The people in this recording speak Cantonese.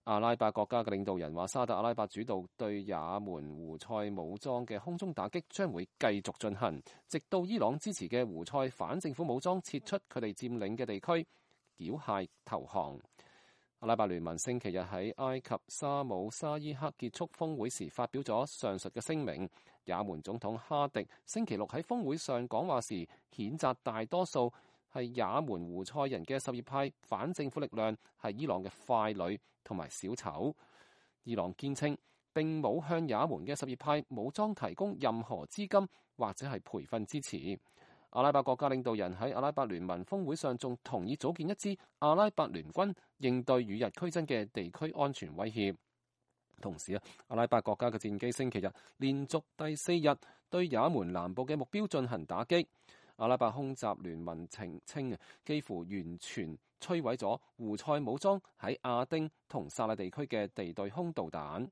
阿拉伯國家嘅領導人話，沙特阿拉伯主導對也門胡塞武裝嘅空中打擊將會繼續進行，直到伊朗支持嘅胡塞反政府武裝撤出佢哋佔領嘅地區，繳械投降。阿拉伯聯盟星期日喺埃及沙姆沙伊克結束峰會時發表咗上述嘅聲明。也門總統哈迪星期六喺峰會上講話時，譴責大多數係也門胡塞人嘅什葉派反政府力量係伊朗嘅傀儡同埋小丑。伊朗堅稱並冇向也門嘅什葉派武裝提供任何資金或者係培訓支持。阿拉伯國家領導人喺阿拉伯聯盟峰會上仲同意組建一支阿拉伯聯軍，應對與日俱增嘅地區安全威脅。同時阿拉伯國家嘅戰機星期日連續第4日對也門南部嘅目標進行打擊。阿拉伯空襲聯盟稱幾乎完全摧毀咗胡塞武裝喺亞丁同薩勒地區嘅地對空導彈。